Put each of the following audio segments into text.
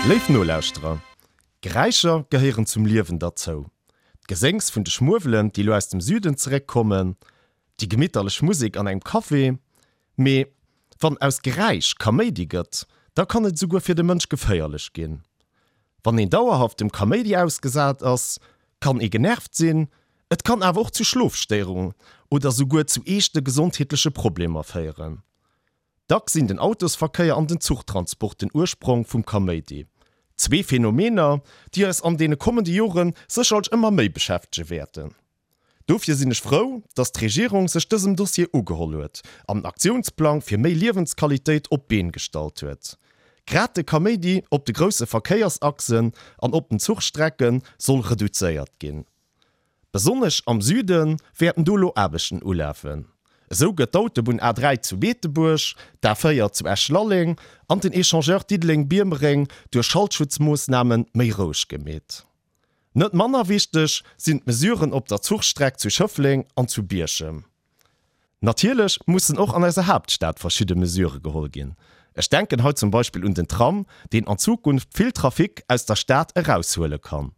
Léif Nolauschterer, Geräischer gehéieren zum Liewen derzou. D'Geséngs vun de Schmuewelen, déi lo aus dem Süden zeréckkommen, déi gemitterlech Musek an engem Café. Mee wann aus Geräisch Kaméidi gëtt, da kann et esouguer fir de Mënsch geféierlech ginn. Wann een dauerhaft dem Kaméidi ausgesat ass, kann ee genervt sinn, et kann awer och zu Schlofstéierungen oder souguer zu eeschte gesondheetleche Problemer féieren. Dacks sinn den Autosverkéier an den Zuchtransport den Ursprong vum Kaméidi. Zwee Phänomener, déi eis an deene kommende Jore sécherlech ëmmer méi beschäftege wäerten. Dofir sinn ech frou, datt d'Regierung sech dësem Dossier ugeholl huet an en Aktiounsplang fir méi Liewensqualitéit op d'Been gestallt huet. Grad de Kaméidi op de grousse Verkéiersachsen an op den Zuchstrecke soll reduzéiert ginn. Besonnesch am Süde wäerten do elo Aarbechten ulafen. Esou gëtt d'Autobunn A3 zu Beetebuerg, d'A4 zu Esch-Lalleng an den Echangeur Diddeleng-Biermereng duerch Schaltschutzmoossname méi roueg gemeet. Net manner wichteg sinn d'Mesuren op der Zuchstreck zu Schëffleng an zu Bierchem. Natierlech mussen och an eiser Haaptstad verschidde Mesurë geholl ginn. Ech denken hei zum Beispill un den Tram, deen an Zukunft vill Trafic aus der Stad eraushuele kann.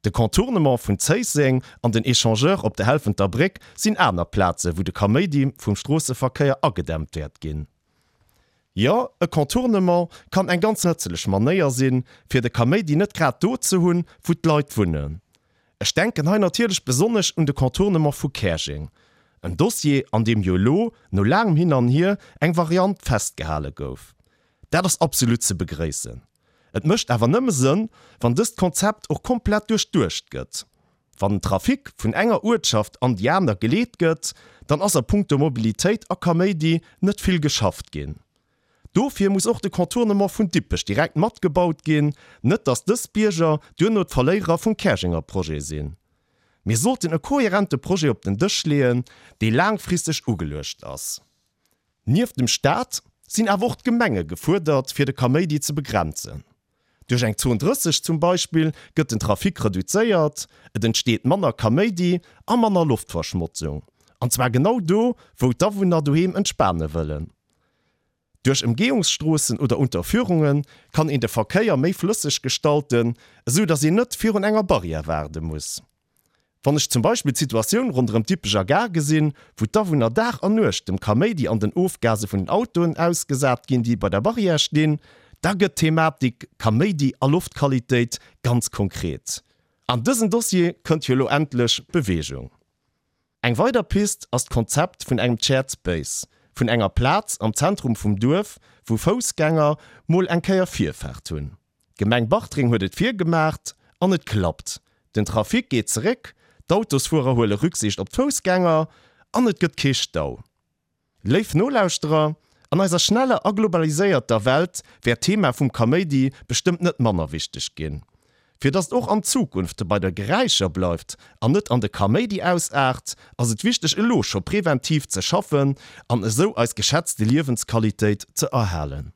De Contournement vun Zéisseng an den Echangeur op der Helfenter Bréck sinn aner Plaze wou de Kaméidi vum Stroosseverkéier agedämmt wäert ginn. Jo, e Contournement kann eng ganz nëtzelech Manéier sinn, fir de Kaméidi net grad do ze hunn, wou d'Leit wunnen. Ech denken hei natierlech besonnesch un de Contournement vu Käerjeng, en Dossier, an deem jo elo, no laangem Hin an Hier, eng Variant festgehale gouf. Dat ass absolut ze begréissen. Et mécht awer nëmme Sënn, wann dëst Konzept och komplett duerchduecht gëtt. Wann den Trafic vun enger Uertschaft an déi aner geleet gëtt, dann ass a punkto Mobilitéit a Kaméidi net vill geschafft ginn. Dofir muss och de Contournement vun Dippech direkt matgebaut ginn, net datt dës Bierger duerno d'Verléierer vum Käerjenger Projet sinn. Mir sollten e kohärente Projet op den Dësch leeën, dee laangfristeg ugeluecht ass. Nieft dem Staat sinn awer och d'Gemenge gefuerdert, fir de Kaméidi ze begrenzen. Duerch eng Zon 30 zum Beispill gëtt den Trafic reduzéiert, et entsteet manner Kaméidi a manner Loftverschmotzung. An zwar genau do, wou d'Awunner doheem entspane wëllen. Duerch Emgehungsstroossen oder Unterführunge kann een de Verkéier méi flësseg gestalten, esou datt een net virun enger Barrière waarde muss. Wann ech zum Beispill d'Situatioun ronderëm d'Dippecher Gare gesinn, wou d'Awunner Dag an Nuecht dem Kaméidi an den Ofgase vun den Autoen ausgesat ginn, déi bei der Barrière stinn, da gëtt d'Thematik Kaméidi a Loftqualitéit ganz konkret. An dësen Dossier kënnt jo elo endlech Beweegung. Eng weider Pist ass d'Konzept vun engem Shared Space, vun enger Plaz am Zentrum vum Duerf, wou Foussgänger mol eng Kéier Virfaart hunn. D'Gemeng Bartreng huet et virgemaacht an et klappt. Den Trafic geet zeréck, d'Autosfuerer huele Rücksicht op d'Foussgänger an et gëtt kee Stau. Léif Nolauschterer, an eiser schneller a globaliséierter Welt wäert d'Thema vum Kaméidi bestëmmt net manner wichteg ginn. Fir datt et och an Zukunft bei de Geräischer bleift an net an de Kaméidi ausaart, ass et wichteg elo scho preventiv ze schaffen an esou eis geschätzte Liewensqualitéit ze erhalen.